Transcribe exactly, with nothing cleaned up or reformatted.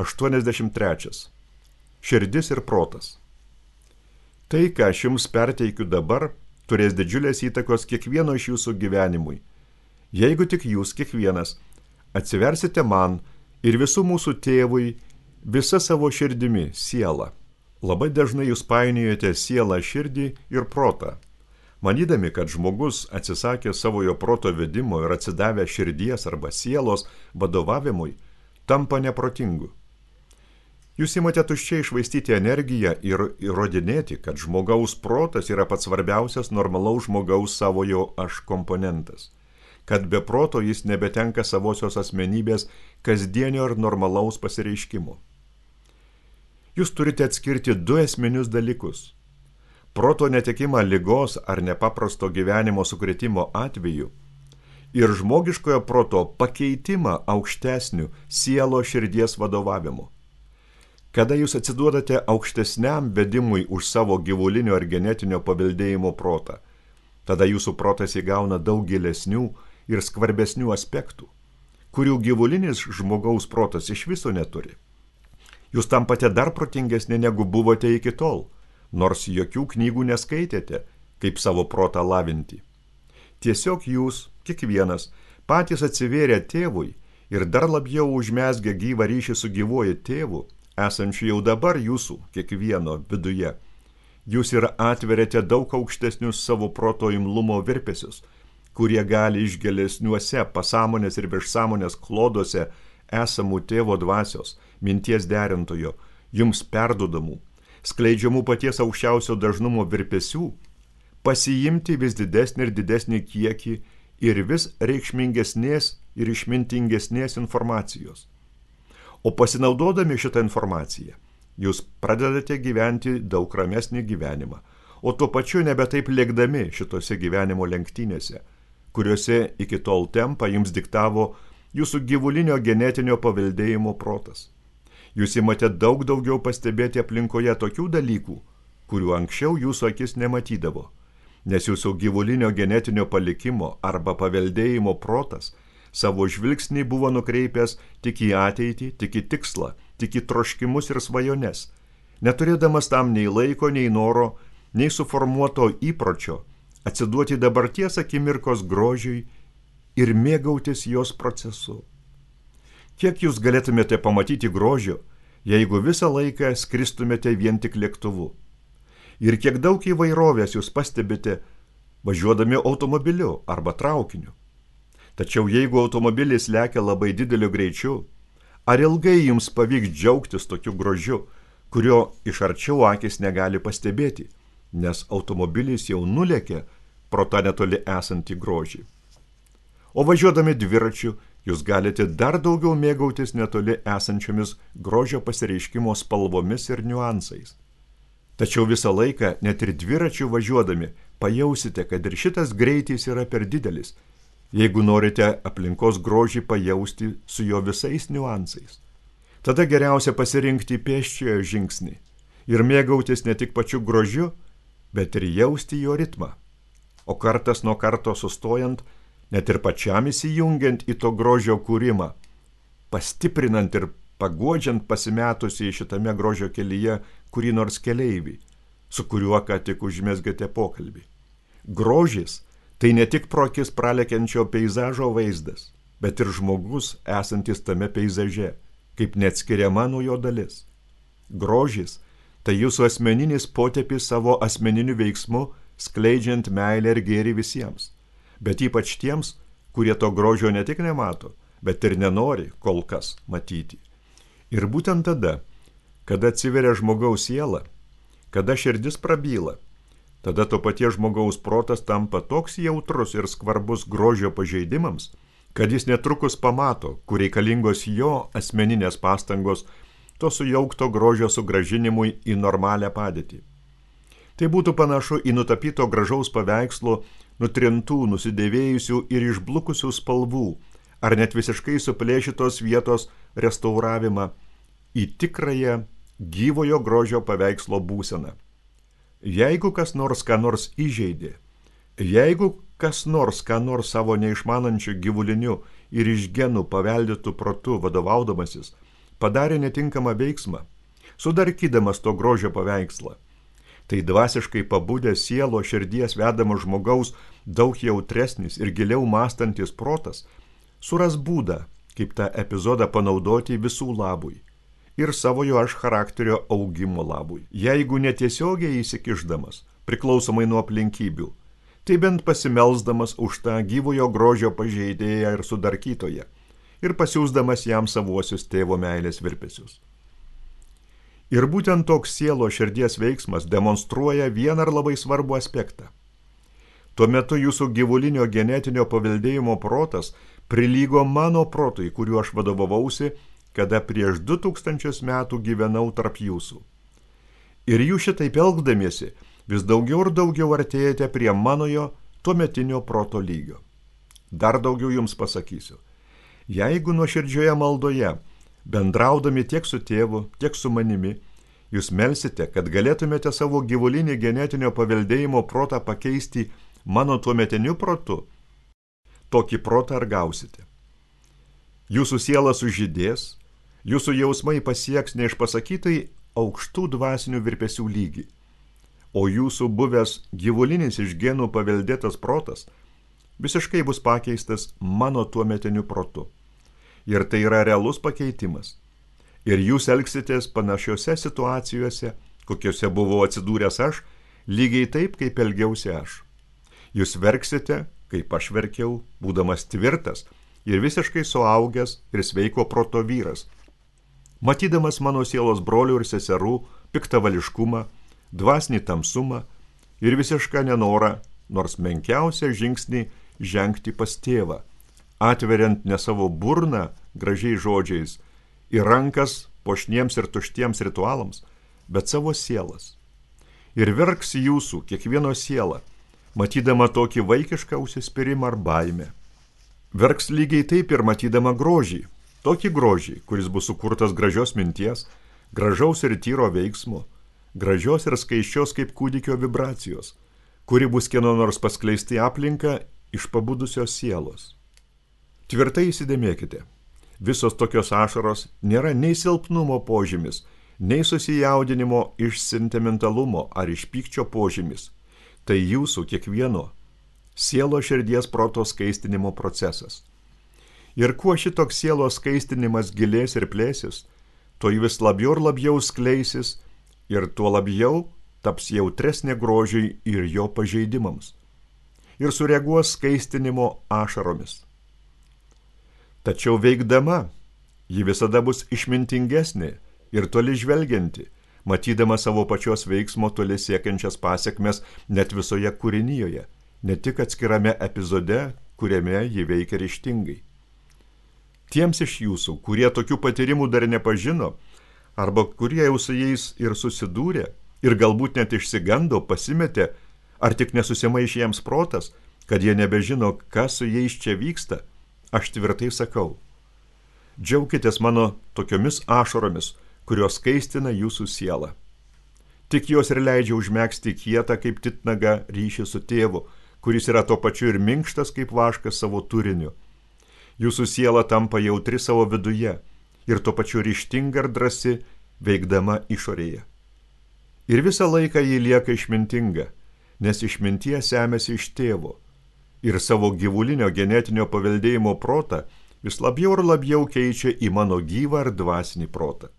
aštuoniasdešimt trečias. Širdis ir protas. Tai, ką aš jums perteikiu dabar, turės didžiulės įtakos kiekvieno iš jūsų gyvenimui. Jeigu tik jūs kiekvienas atsiversite man ir visų mūsų tėvui visa savo širdimi, sielą. Labai dažnai jūs painiojate sielą, širdį ir protą, manydami, kad žmogus atsisakė savojo proto vedimo ir atsidavę širdies arba sielos vadovavimui, tampa neprotingu. Jūs imate tuščiai išvaistyti energiją ir įrodinėti, kad žmogaus protas yra pats svarbiausias normalaus žmogaus savojo aš komponentas, kad be proto jis nebetenka savosios asmenybės kasdienio ir normalaus pasireiškimo. Jūs turite atskirti du esminius dalykus. Proto netekimą ligos ar nepaprasto gyvenimo sukrėtimo atveju ir žmogiškojo proto pakeitimą aukštesnių sielo širdies vadovavimu. Kada jūs atsiduodate aukštesniam vedimui už savo gyvulinio ar genetinio paveldėjimo protą, tada jūsų protas įgauna daug gilesnių ir skvarbesnių aspektų, kurių gyvulinis žmogaus protas iš viso neturi. Jūs tampate dar protingesni negu buvote iki tol, nors jokių knygų neskaitėte, kaip savo protą lavinti. Tiesiog jūs, kiekvienas, patys atsivėrė tėvui ir dar labiau užmesgę gyvą ryšį su gyvuoju tėvu, esančiu jau dabar jūsų, kiekvieno viduje. Jūs ir atveriate daug aukštesnius savo proto imlumo virpesius, kurie gali iš gilesniuose pasąmonės ir viršsąmonės kloduose esamų tėvo dvasios, minties derintojo, jums perdodamų, skleidžiamų paties aukščiausio dažnumo virpesių, pasiimti vis didesnį ir didesnį kiekį ir vis reikšmingesnės ir išmintingesnės informacijos. O pasinaudodami šitą informaciją, jūs pradedate gyventi daug ramesnį gyvenimą, o tuo pačiu nebe taip lėkdami šitose gyvenimo lenktynėse, kuriuose iki tol tempą jums diktavo jūsų gyvulinio genetinio paveldėjimo protas. Jūs imate daug daugiau pastebėti aplinkoje tokių dalykų, kurių anksčiau jūsų akis nematydavo, nes jūsų gyvulinio genetinio palikimo arba paveldėjimo protas savo žvilgsnį buvo nukreipęs tik į ateitį, tik į tikslą, tik į troškimus ir svajones, neturėdamas tam nei laiko, nei noro, nei suformuoto įpročio atsiduoti dabarties akimirkos grožiui ir mėgautis jos procesu. Kiek jūs galėtumėte pamatyti grožio, jeigu visą laiką skristumėte vien tik lėktuvu? Ir kiek daug įvairovės jūs pastebite važiuodami automobiliu arba traukiniu? Tačiau jeigu automobilis lekia labai dideliu greičiu, ar ilgai jums pavyks džiaugtis tokiu grožiu, kurio iš arčiau akis negali pastebėti, nes automobilis jau nulėkė pro tą netoli esantį grožį? O važiuodami dviračiu, jūs galite dar daugiau mėgautis netoli esančiomis grožio pasireiškimo spalvomis ir niuansais. Tačiau visą laiką, net ir dviračiu važiuodami, pajausite, kad ir šitas greitis yra per didelis, jeigu norite aplinkos grožį pajausti su jo visais niuansais. Tada geriausia pasirinkti pėsčiojo žingsnį ir mėgautis ne tik pačiu grožiu, bet ir jausti jo ritmą. O kartas nuo karto sustojant, net ir pačiam įsijungiant į to grožio kūrimą, pastiprinant ir paguodžiant pasimetusi į šitame grožio kelyje kurį nors keleivį, su kuriuo ką tik užmesgėte pokalbį. Grožis tai ne tik pro akis pralekiančio peizažo vaizdas, bet ir žmogus esantis tame peizaže, kaip neatskiriama nuo jo dalis. Grožis tai jūsų asmeninis potėpis savo asmeniniu veiksmu, skleidžiant meilę ir gėrį visiems, bet ypač tiems, kurie to grožio ne tik nemato, bet ir nenori kol kas matyti. Ir būtent tada, kada atsiveria žmogaus siela, kada širdis prabyla, tada to paties žmogaus protas tampa toks jautrus ir skvarbus grožio pažeidimams, kad jis netrukus pamato, kur reikalingos jo asmeninės pastangos to sujaukto grožio sugrąžinimui į normalią padėtį. Tai būtų panašu į nutapyto gražaus paveikslo nutrintų, nusidėvėjusių ir išblukusių spalvų, ar net visiškai suplėšytos vietos restauravimą į tikrąją gyvojo grožio paveikslo būseną. Jeigu kas nors ką nors įžeidė, jeigu kas nors ką nors savo neišmanančių gyvuliniu ir iš genų paveldėtų protu vadovaudamasis, padarė netinkamą veiksmą, sudarkydamas to grožio paveikslą. Tai dvasiškai pabudęs sielo širdies vedamas žmogaus daug jautresnis ir giliau mąstantis protas suras būdą, kaip tą epizodą panaudoti visų labui ir savojo aš charakterio augimo labui. Jeigu netiesiogiai įsikišdamas, priklausomai nuo aplinkybių, tai bent pasimelsdamas už tą gyvojo grožio pažeidėją ir sudarkytoją ir pasiųsdamas jam savuosius tėvo meilės virpesius. Ir būtent toks sielo širdies veiksmas demonstruoja vieną ar labai svarbų aspektą. Tuo metu jūsų gyvulinio genetinio paveldėjimo protas prilygo mano protui, kuriuo aš vadovavausi, kada prieš du tūkstančius metų gyvenau tarp jūsų. Ir jūs šitaip elgdamiesi vis daugiau ir daugiau artėjate prie manojo tuometinio proto lygio. Dar daugiau jums pasakysiu. Jeigu nuoširdžioje maldoje, bendraudami tiek su tėvu, tiek su manimi, jūs melsite, kad galėtumėte savo gyvulinį genetinio paveldėjimo protą pakeisti mano tuometiniu protu, tokį protą ar gausite. Jūsų siela sužydės, jūsų jausmai pasieks neišpasakytai aukštų dvasinių virpesių lygį, o jūsų buvęs gyvulinis iš genų paveldėtas protas visiškai bus pakeistas mano tuometiniu protu. Ir tai yra realus pakeitimas. Ir jūs elgsitės panašiose situacijose, kokiuose buvau atsidūręs aš, lygiai taip, kaip elgiausi aš. Jūs verksite, kaip aš verkiau, būdamas tvirtas ir visiškai suaugęs ir sveiko proto vyras. Matydamas mano sielos brolių ir seserų piktavališkumą, dvasinį tamsumą ir visišką nenorą, nors menkiausią žingsnį žengti pas tėvą, atveriant ne savo burną gražiais žodžiais ir rankas puošniems ir tuštiems ritualams, bet savo sielas. Ir verks jūsų kiekvieno siela, matydama tokį vaikišką užsispyrimą ar baimę. Verks lygiai taip ir matydama grožį, tokį grožį, kuris bus sukurtas gražios minties, gražaus ir tyro veiksmo, gražios ir skaiščios kaip kūdikio vibracijos, kuri bus kieno nors paskleisti aplinką iš pabudusios sielos. Tvirtai įsidėmėkite, visos tokios ašaros nėra nei silpnumo požymis, nei susijaudinimo iš sentimentalumo ar iš pykčio požymis. Tai jūsų kiekvieno sielo širdies proto skaistinimo procesas. Ir kuo šitoks sielos skaistinimas gilės ir plėsis, to vis labiau ir labiau skleisis ir tuo labiau taps jautresnė grožiui ir jo pažeidimams. Ir sureaguos skaistinimo ašaromis. Tačiau veikdama, ji visada bus išmintingesnė ir toli žvelgianti, matydama savo pačios veiksmo toli siekiančias pasiekmes net visoje kūrinyjoje, ne tik atskirame epizode, kuriame ji veikia ryžtingai. Tiems iš jūsų, kurie tokių patyrimų dar nepažino, arba kurie jau su jais ir susidūrė, ir galbūt net išsigando, pasimetė, ar tik nesusimaišė jiems protas, kad jie nebežino, kas su jais čia vyksta, aš tvirtai sakau. Džiaukitės mano tokiomis ašaromis, kurios skaistina jūsų sielą. Tik jos ir leidžia užmegzti kietą kaip titnaga ryšį su tėvu, kuris yra tuo pačiu ir minkštas kaip vaškas savo turiniu. Jūsų siela tampa jautri savo viduje ir tuo pačiu ryžtinga ir drąsi, veikdama išorėje. Ir visą laiką ji lieka išmintinga, nes išminties semiasi iš tėvo ir savo gyvulinio genetinio paveldėjimo protą vis labiau ir labiau keičia į mano gyvą ir dvasinį protą.